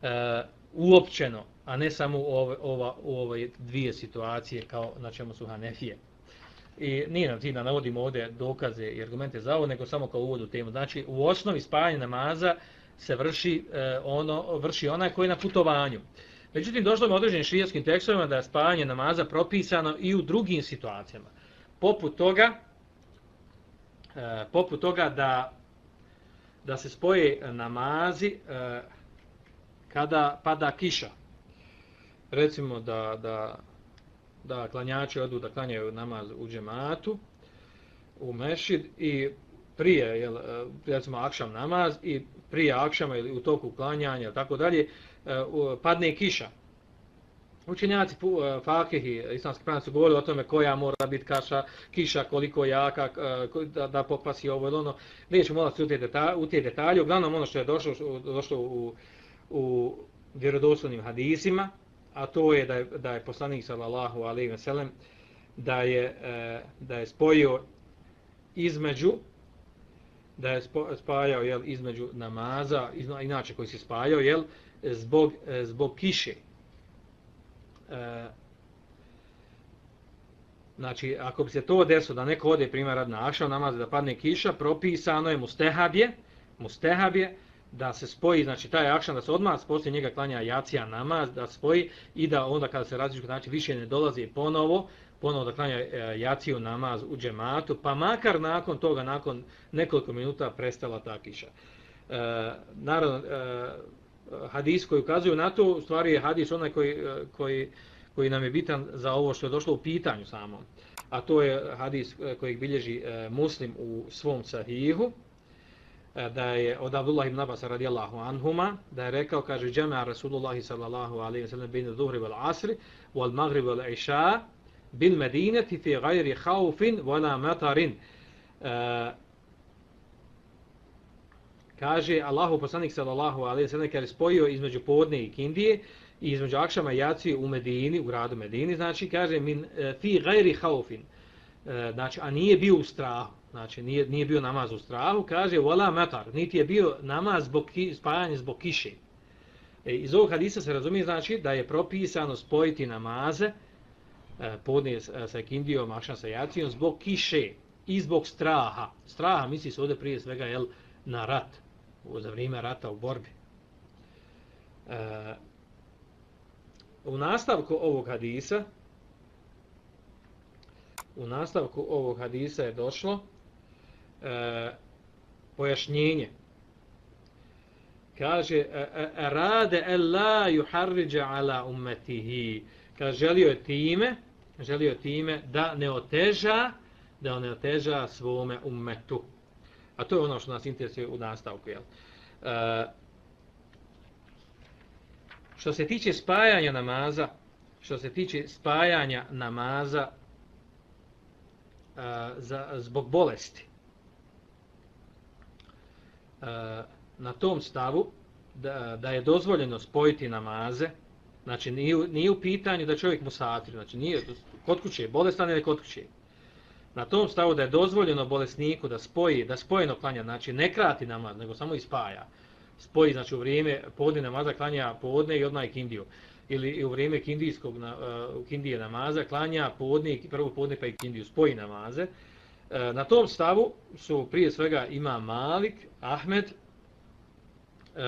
e, uopćeno, a ne samo u ove, ova, u ove dvije situacije kao na čemu su Hanefije. I nije nam cilj da navodimo ovdje dokaze i argumente za ovo, nego samo kao uvod u temu. Znači, u osnovi spajanje namaza se vrši, e, ono, vrši onaj koji je na putovanju. Međutim, došlo je određenim šerijskim tekstovima da je spajanje namaza propisano i u drugim situacijama. Poput toga, e, poput toga da, da se spoje namazi e, kada pada kiša. Recimo da, da, da klanjači odu da klanjaju namaz u džematu, u mešid i prije, jel, recimo akšam namaz i prije akšama ili u toku klanjanja, tako dalje, padne kiša. Učenjaci fakihi, islamski pravnici su govorili o tome koja mora biti kaša, kiša, koliko jaka, da, da popasi ovo ili ono. Nećemo molati u te detalje, u te detalje. Uglavnom ono što je došlo, došlo u, u vjerodostojnim hadisima, a to je da je, da je poslanik sallallahu alejhi ve sellem da je, da je spojio između da je spajao jel, između namaza, inače koji se spajao, jel, zbog, zbog kiše. E, znači, ako bi se to desilo da neko ode primjer rad na akšam namaz da padne kiša, propisano je mustehabje, mustehabje da se spoji, znači taj akšam da se odmah poslije njega klanja jacija namaz, da spoji i da onda kada se različite, znači više ne dolazi ponovo, ponovo da klanja jaciju namaz u džematu, pa makar nakon toga, nakon nekoliko minuta prestala ta kiša. E, naravno, e, hadis koji ukazuju na to, u stvari je hadis onaj koji, koji, koji nam je bitan za ovo što je došlo u pitanju samom. A to je hadis koji bilježi Muslim u svom sahihu, da je od Abdullah ibn Abbas radijallahu anhuma, da je rekao, kaže, džema'a Rasulullahi sallallahu alaihi wa sallam bin dhuhri wal asri wal maghrib wal isha bil medineti fi gajri haufin wala matarin. E, kaže, Allahu poslanik sallallahu alejhi ve sellem kad je spojio između podne i kindije i između akšama i jacije u Medini, u gradu Medini, znači kaže min fi gajri haufin, e, znači a nije bio u strahu, znači nije nije bio namaz u strahu, kaže wala matar, niti je bio namaz zbog spajanja zbog kiše. E, iz ovog hadisa se razumije znači da je propisano spojiti namaze e, podne sa kindijom, akšam sa jacijom zbog kiše i zbog straha. Straha misli se ovdje prije svega jel, na rat, za vrijeme rata u borbi. E, u nastavku ovog hadisa u nastavku ovog hadisa je došlo e, pojašnjenje. Kaže rade alla yuharrija ala ummetihi. Kaže želio je time, želio time da ne oteža, da ne oteža svome ummetu. A to je ono što nas interesuje u nastavku. Jel? E, što se tiče spajanja namaza, što se tiče spajanja namaza e, za, zbog bolesti, e, na tom stavu da, da je dozvoljeno spojiti namaze, znači nije, nije u pitanju da čovjek musafir, znači nije kod kuće, bolestan ili kod kuće. Na tom stavu da je dozvoljeno bolesniku da spoji, da spojeno klanja, znači ne krati namaz, nego samo ispaja. Spoji, znači u vrijeme podne namaza klanja podne i odmah kindiju. Ili u vrijeme kindijskog uh, kindije namaza klanja podne, prvo podne pa i kindiju, spoji namaze. Uh, na tom stavu su prije svega ima Malik, Ahmed uh,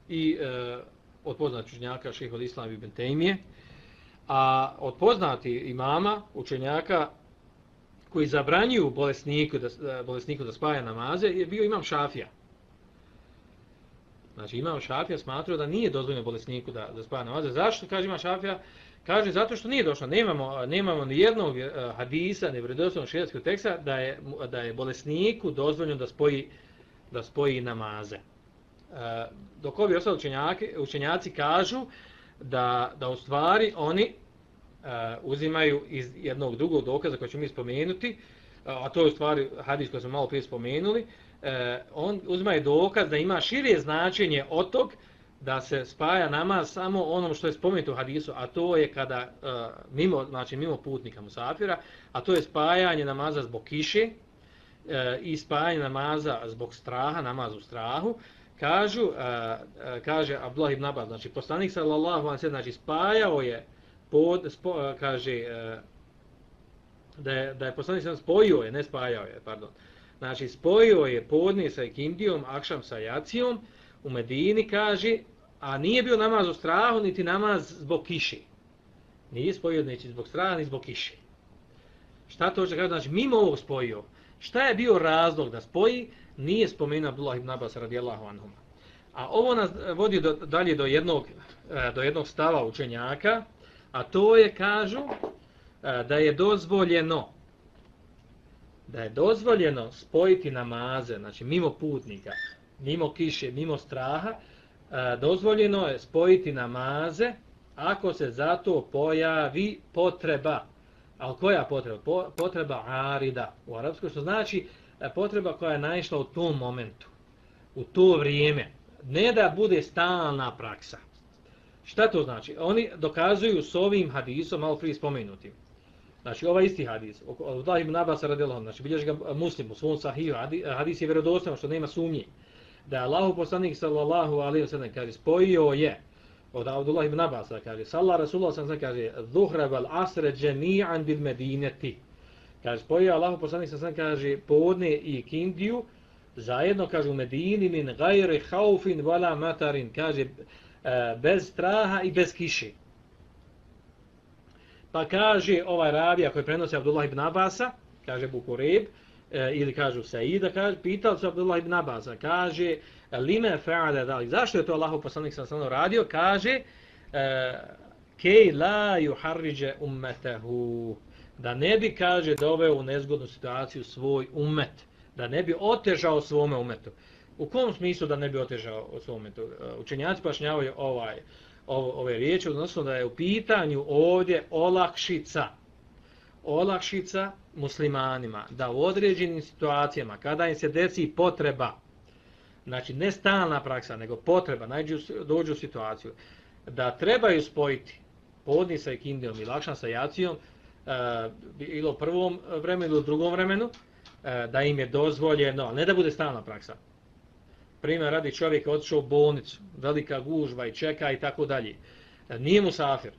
i uh, od poznatih učenjaka šejh od Islam ibn Tejmije, a od poznati imama, učenjaka koji zabranjuju bolesniku da, bolesniku da spaja namaze, je bio imam Šafija. Znači imam Šafija smatrao da nije dozvoljeno bolesniku da, da spaja namaze. Zašto kaže imam Šafija? Kaže zato što nije došlo. Nemamo, nemamo ni jednog hadisa, ni vjerodostojnog šerijatskog teksta da je, da je bolesniku dozvoljeno da spoji, da spoji namaze. dok ovi ostali učenjaki, učenjaci kažu da, da u stvari oni uh, uzimaju iz jednog drugog dokaza koji ćemo mi spomenuti, a to je u stvari hadis koji smo malo prije spomenuli, uh, on uzimaju dokaz da ima šire značenje od tog da se spaja namaz samo onom što je spomenuto u hadisu, a to je kada uh, mimo, znači mimo putnika musafira, a to je spajanje namaza zbog kiše uh, i spajanje namaza zbog straha, namaz u strahu. Kažu, uh, uh, kaže Abdullah ibn Abbas, znači poslanik sallallahu alejhi ve sellem, znači spajao je pod, spo, uh, kaže uh, da je da je poslanik sallallahu spojio je, ne spajao je, pardon. Znači spojio je podne sa ikindijom, akšam sa jacijom u Medini, kaže, a nije bio namaz u strahu niti namaz zbog kiše. Nije spojio neći zbog straha ni zbog kiše. Šta to hoće kaže? Znači mimo ovog spojio. Šta je bio razlog da spoji? Nije spomenuo Abdullah ibn Abbas radijallahu anhuma. A ovo nas vodi do, dalje do jednog, do jednog stava učenjaka, a to je, kažu, da je dozvoljeno da je dozvoljeno spojiti namaze, znači mimo putnika, mimo kiše, mimo straha, dozvoljeno je spojiti namaze ako se za to pojavi potreba. Ali koja potreba? Potreba arida u arapskoj, što znači potreba koja je naišla u tom momentu, u to vrijeme. Ne da bude stalna praksa. Šta to znači? Oni dokazuju s ovim hadisom, malo prije spomenutim. Znači, ovaj isti hadis, od ibn Abbas radijallahu anhu, znači bilježi ga Muslim u svom sahihu, hadis je vjerodostojan, što nema sumnje, da je Allahu poslanik sallallahu alejhi ve sellem kaže spojio je od Abdullah ibn Abbas, kaže salla Rasulullah sallallahu alejhi ve sellem, kaže zuhra wal asr jami'an bil Medineti. Kaže spojio Allahu poslanik sallallahu alejhi ve sellem, kaže podne i kindiju zajedno, kaže u Medini, min gajri haufin wala matarin, kaže bez straha i bez kiše. Pa kaže ovaj ravija koji prenosi Abdullah ibn Abasa, kaže Bukureb, e, ili kažu Saida, kaže, pitao se Abdullah ibn Abasa, kaže, lime fa'ala dalik, zašto je to Allahov poslanik sallallahu radio, kaže, kej la yuharrije ummetahu, da ne bi, kaže, doveo u nezgodnu situaciju svoj ummet, da ne bi otežao svome ummetu. U kom smislu da ne bi otežao svom ummetu? Učenjaci pojašnjavaju ovaj ove riječi, odnosno da je u pitanju ovdje olakšica, olakšica muslimanima, da u određenim situacijama, kada im se desi potreba, znači ne stalna praksa, nego potreba, najđu, dođu u situaciju, da trebaju spojiti podni sa ikindijom i lakšan sa jacijom, uh, ili u prvom vremenu ili u drugom vremenu, uh, da im je dozvoljeno, ne da bude stalna praksa. Primjer, radi čovjek otišao u bolnicu, velika gužva i čeka i tako dalje. Nije musafir,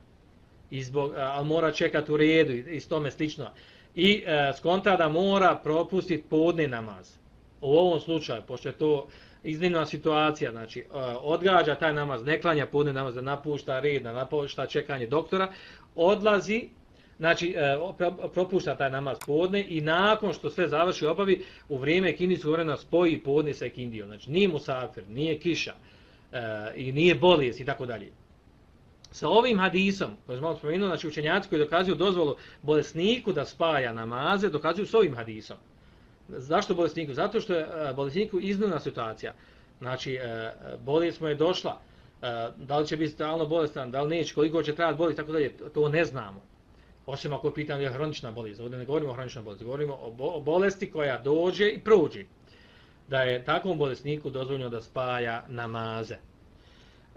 izbog, ali mora čekati u redu i s tome slično. I e, skonta da mora propustiti podne namaz. U ovom slučaju, pošto je to iznimna situacija, znači e, odgađa taj namaz, ne klanja podne namaz, da napušta red, da napušta čekanje doktora, odlazi, znači e, propušta taj namaz podne i nakon što sve završi obavi, u vrijeme kindijskog vremena spoji podne sa kindijom. Znači nije musafir, nije kiša e, i nije bolest i tako dalje. Sa ovim hadisom, koji smo malo spomenuli, znači učenjaci koji dokazuju dozvolu bolesniku da spaja namaze, dokazuju s ovim hadisom. Zašto bolesniku? Zato što je e, bolesniku iznimna situacija. Znači e, bolest mu je došla, e, da li će biti stalno bolestan, da li neće, koliko će trajati bolest, tako dalje, to ne znamo. Osim ako je pitanje je hronična bolest. Ovdje ne govorimo o hroničnoj bolesti, govorimo o bolesti koja dođe i prođe. Da je takvom bolesniku dozvoljeno da spaja namaze.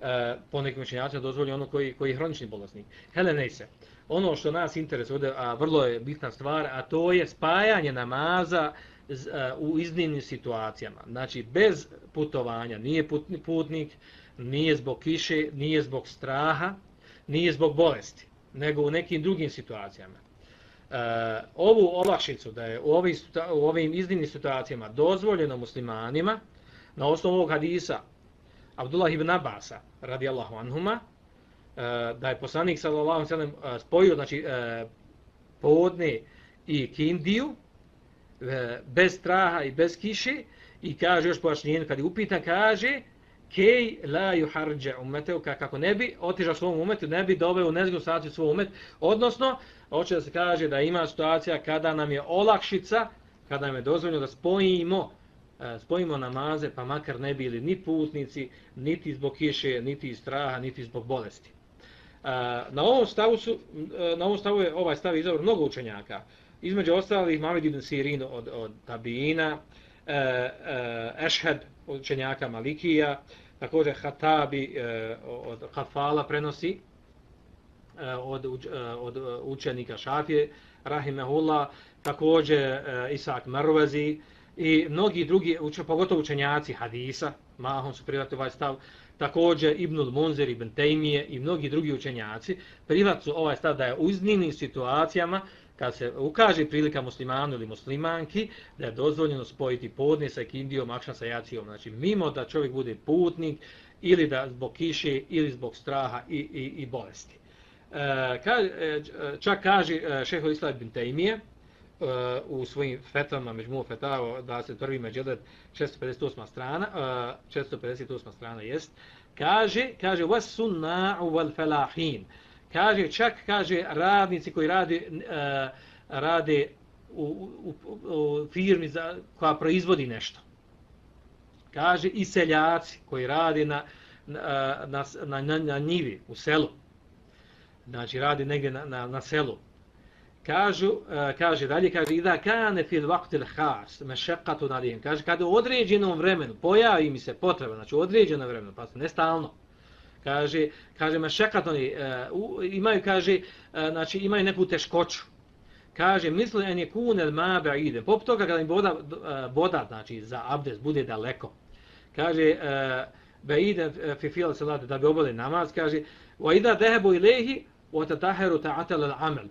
E, po nekim učenjacima dozvoljeno ono koji, koji je hronični bolesnik. Hele, ne se. Ono što nas interesuje ovdje, a vrlo je bitna stvar, a to je spajanje namaza z, a, u iznimnim situacijama. Znači, bez putovanja. Nije putnik, nije zbog kiše, nije zbog straha, nije zbog bolesti, nego u nekim drugim situacijama. E, ovu olakšicu da je u, ovih, u ovim iznimnim situacijama dozvoljeno muslimanima na osnovu ovog hadisa Abdullah ibn Abasa radijallahu anhuma, e, da je poslanik sallallahu alejhi ve sellem spojio, znači e, podne i kindiju e, bez straha i bez kiše i kaže još pojašnjenje kad je upitan, kaže kej la yuharrije ummetehu, kako ne bi otežao svom umetu, ne bi doveo u nezgodnu situaciju svoj umet, odnosno hoće da se kaže da ima situacija kada nam je olakšica, kada nam je dozvoljeno da spojimo spojimo namaze, pa makar ne bili ni putnici, niti zbog kiše, niti iz straha, niti zbog bolesti. Na ovom stavu, su, na ovom stavu je ovaj stav izabran mnogo učenjaka. Između ostalih Muhammed ibn Sirin od, od Tabiina, Ešhed učenjaka Malikija, također Hatabi od Hafala prenosi od, od učenika Šafije, Rahimehullah, također Isak Marvazi i mnogi drugi, pogotovo učenjaci hadisa, mahom su prihvatili ovaj stav, također Ibnul Munzir, Ibn Tejmije i mnogi drugi učenjaci prihvatili su ovaj stav da je u iznimnim situacijama kad se ukaže prilika muslimanu ili muslimanki da je dozvoljeno spojiti podne sa ikindijom, akšam sa jacijom. Znači mimo da čovjek bude putnik ili da zbog kiše ili zbog straha i, i, i bolesti. E, ka, e, čak kaže šejh Islam ibn Tejmije u svojim fetvama, Međmu fetava, dvadeset prvi Međelet, šesto pedeset osma strana, šesto pedeset osma strana jest, kaže, kaže, was sunna'u wal falahin. Kaže, čak, kaže, radnici koji rade, rade u, u, u firmi za, koja proizvodi nešto. Kaže, i seljaci koji rade na, na, na, na, na njivi, u selu. Znači, radi negdje na, na, na selu. Kažu, uh, kaže dalje, kaže ida kane fil waqtil khas mashaqqatu alayhim. Kaže kada u određenom vremenu pojavi mi se potreba, znači u određenom vremenu, pa ne stalno. Kaže, kaže mashaqqatu uh, imaju kaže uh, znači imaju neku teškoću. Kaže misle en yakun al ma ba'ide. Poput toga kada im voda uh, voda znači za abdest bude daleko. Kaže ba'ide fi fil salat da bi obavili namaz, kaže wa ida dhahabu ilayhi wa tataharu ta'atal al amal.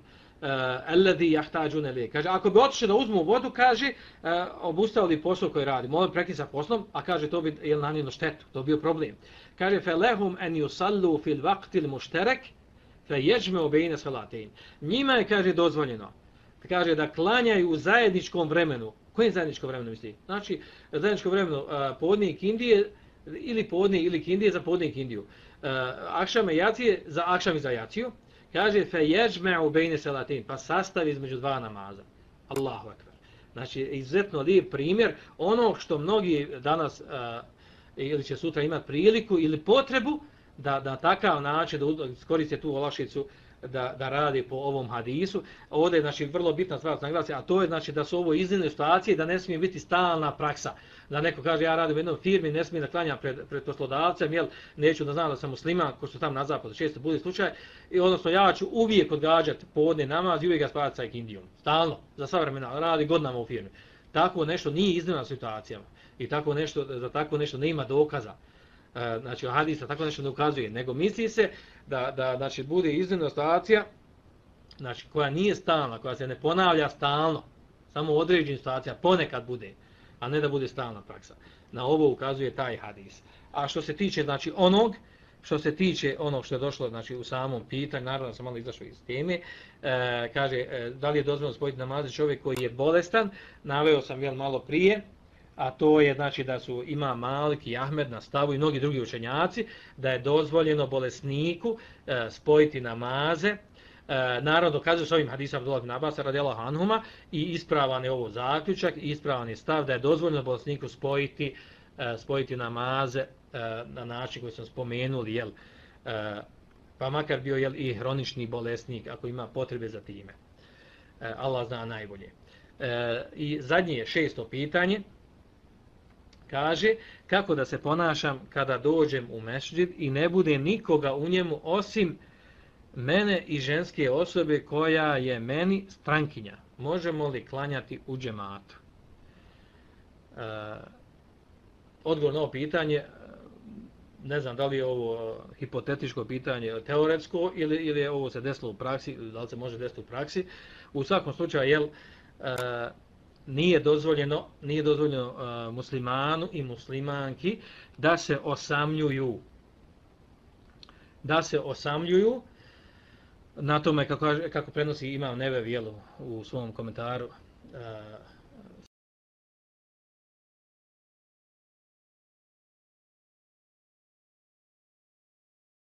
Alladhi yahtajun ilayhi. Kaže ako bi otišli da uzmu vodu, kaže uh, obustavili posao koji radi. Molim prekini sa poslom, a kaže to bi jel nanijelo štetu, to bi bio problem. Kaže falahum an yusallu fil waqti al mushtarak fayajma'u bayna salatayn. Njima je kaže dozvoljeno. Kaže da klanjaju u zajedničkom vremenu. Kojem zajedničkom vremenu misli? Znači zajedničkom vremenu uh, podne i kindije ili podne ili kindije za podne i kindiju. Uh, akšam i jacije za akšam i za jaciju. Kaže fe yajma'u bayna salatin, pa sastavi između dva namaza. Allahu ekber. Znači izuzetno lijep primjer ono što mnogi danas uh, ili će sutra imati priliku ili potrebu da da takav način da iskoriste tu olakšicu da da radi po ovom hadisu. Ovdje je znači vrlo bitna stvar da naglasi, a to je znači da su ovo iznimne situacije, da ne smije biti stalna praksa. Da neko kaže ja radim u jednoj firmi, ne smije da klanjam pred, pred poslodavcem, jel neću da znam da sam musliman, ko što tam na zapadu često bude slučaj, i odnosno ja ću uvijek odgađati podne namaz i uvijek ga spavati sa ikindijom. Stalno, za sva vremena, radi godinama u firmi. Tako nešto nije iznimna situacija i tako nešto, za tako nešto ne ima dokaza. Znači hadisa tako nešto ne ukazuje, nego misli se da, da znači, bude iznimna situacija znači, koja nije stalna, koja se ne ponavlja stalno, samo u određenim situacijama ponekad bude, a ne da bude stalna praksa. Na ovo ukazuje taj hadis. A što se tiče znači, onog, što se tiče onog što je došlo znači, u samom pitanju, naravno da sam malo izašao iz teme, e, kaže e, da li je dozvoljeno spojiti namaze čovjek koji je bolestan, naveo sam jel malo prije, a to je znači da su Imam Malik i Ahmed na stavu i mnogi drugi učenjaci da je dozvoljeno bolesniku e, spojiti namaze. E, naravno dokazuju s ovim hadisom Abdullah ibn Abasa radijallahu anhuma i ispravan je ovo zaključak i ispravan je stav da je dozvoljeno bolesniku spojiti e, spojiti namaze e, na način koji sam spomenuli, jel, e, pa makar bio jel, i hronični bolesnik ako ima potrebe za time. E, Allah zna najbolje. E, I zadnje je šesto pitanje. Kaže, kako da se ponašam kada dođem u mešdžid i ne bude nikoga u njemu osim mene i ženske osobe koja je meni strankinja. Možemo li klanjati u džematu? E, odgovor na ovo pitanje, ne znam da li je ovo hipotetičko pitanje teoretsko ili, ili je ovo se desilo u praksi, da li se može desiti u praksi. U svakom slučaju, jel, e, nije dozvoljeno, nije dozvoljeno uh, muslimanu i muslimanki da se osamljuju. Da se osamljuju na tome kako, kako prenosi Imam Nevevi u svom komentaru uh,